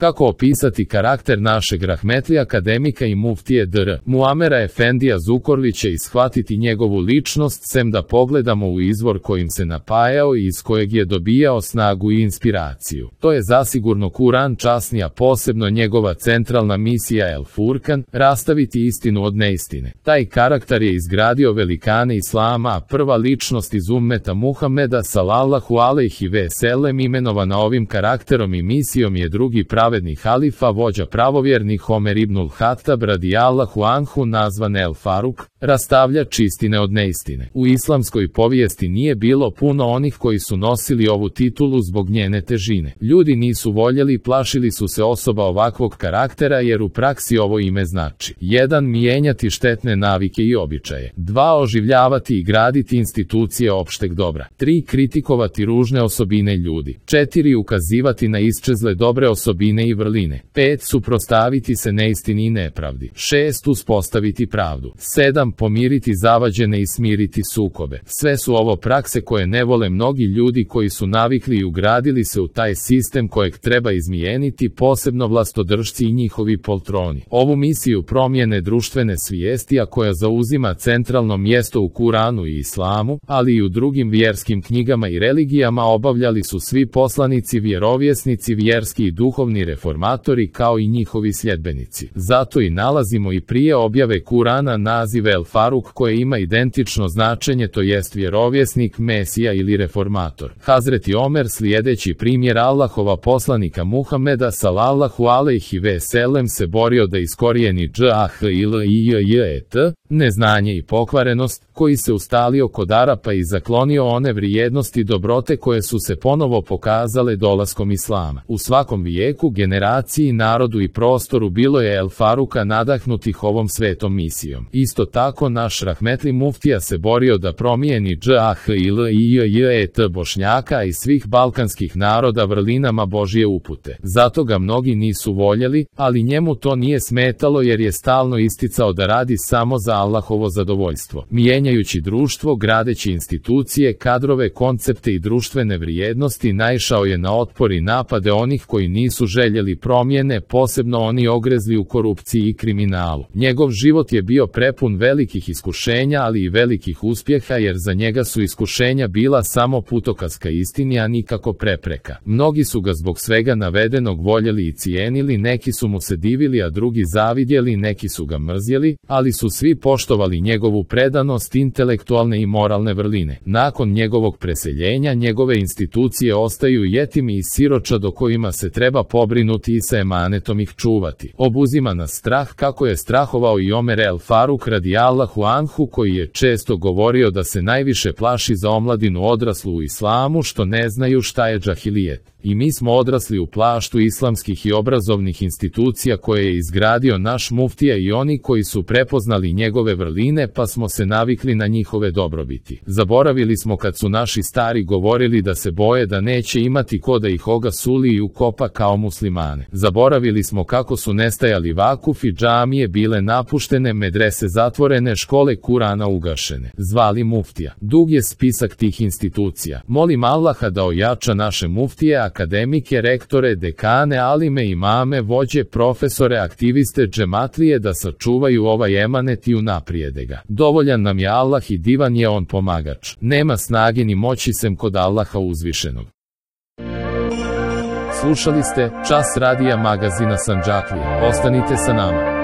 Kako opisati karakter našeg rahmetli akademika i muftije dr. Muamera Efendija Zukorlića i shvatiti njegovu ličnost, sem da pogledamo u izvor kojim se napajao i iz kojeg je dobijao snagu i inspiraciju. To je zasigurno Kuran časni, a posebno njegova centralna misija El Furkan, rastaviti istinu od neistine. Taj karakter je izgradio velikane Islama, a prva ličnost iz ummeta Muhameda sallallahu alejhi ve sellem imenovana ovim karakterom i misijom je drugi pravedni halifa, vođa pravovjernih Omer ibnul Hatab radijallahu anhu, nazvan El Faruk, rastavljač istine od neistine. U islamskoj povijesti nije bilo puno onih koji su nosili ovu titulu zbog njene težine. Ljudi nisu voljeli i plašili su se osoba ovakvog karaktera jer u praksi ovo ime znači: 1. Mijenjati štetne navike i običaje. 2. Oživljavati i graditi institucije opšteg dobra. 3. Kritikovati ružne osobine ljudi. 4. Ukazivati na isčezle dobre osobine i vrline. 5. Suprotstaviti se neistini i nepravdi. 6. Uspostaviti pravdu. 7. Pomiriti zavađene i smiriti sukobe. Sve su ovo prakse koje ne vole mnogi ljudi koji su navikli i ugradili se u taj sistem kojeg treba izmijeniti, posebno vlastodržci i njihovi poltroni. Ovu misiju promjene društvene svijesti, a koja zauzima centralno mjesto u Kuranu i Islamu, ali i u drugim vjerskim knjigama i religijama, obavljali su svi poslanici, vjerovjesnici, vjerski i duhovni reformatori kao i njihovi sljedbenici. Zato i nalazimo i prije objave Kurana naziv El Faruk koje ima identično značenje, to jest vjerovjesnik, mesija ili reformator. Hazreti Omer, slijedeći primjer Allahova poslanika Muhameda sallallahu alejhi ve sellem, se borio da iskorijeni džahilijet, neznanje i pokvarenost, koji se ustalio kod Arapa i zaklonio one vrijednosti i dobrote koje su se ponovo pokazale dolaskom Islama. U svakom vijeku, generaciji, narodu i prostoru bilo je El Faruka nadahnutih ovom svetom misijom. Isto tako naš rahmetli muftija se borio da promijeni džahilijet Bošnjaka i svih balkanskih naroda vrlinama Božje upute. Zato ga mnogi nisu voljeli, ali njemu to nije smetalo jer je stalno isticao da radi samo za Allahovo zadovoljstvo. Mijenjajući društvo, gradeći institucije, kadrove, koncepte i društvene vrijednosti, naišao je na otpor i napade onih koji nisu željeli promjene, posebno oni ogrezli u korupciji i kriminalu. Njegov život je bio prepun velikih iskušenja, ali i velikih uspjeha, jer za njega su iskušenja bila samo putokaz ka istini, a nikako prepreka. Mnogi su ga zbog svega navedenog voljeli i cijenili, neki su mu se divili, a drugi zavidjeli, neki su ga mrzjeli, ali su svi poštovali njegovu predanost, intelektualne i moralne vrline. Nakon njegovog preseljenja, njegove institucije ostaju jetimi i siročad o kojima se treba pobrinuti i sa emanetom ih čuvati. Obuzima nas strah, kako je strahovao i Omer El Faruk radijallahu anhu, koji je često govorio da se najviše plaši za omladinu odraslu u islamu što ne znaju šta je džahilijet. I mi smo odrasli u plaštu islamskih i obrazovnih institucija koje je izgradio naš muftija i oni koji su prepoznali njegove vrline, pa smo se navikli na njihove dobrobiti. Zaboravili smo kad su naši stari govorili da se boje da neće imati ko da ih ogasuli i ukopa kao muslimane. Zaboravili smo kako su nestajali vakufi, džamije bile napuštene, medrese zatvorene, škole Kurana ugašene. Zvali muftija. Dug je spisak tih institucija. Molim Allaha da ojača naše muftije, akademike, rektore, dekane, alime, imame, vođe, profesore, aktiviste, džematlije, da sačuvaju ovaj emanet i unaprijede ga. Dovoljan nam je Allah i divan je on pomagač. Nema snage ni moći sem kod Allaha uzvišenog. Slušali ste Čas radija magazina Sandžaklija. Ostanite sa nama.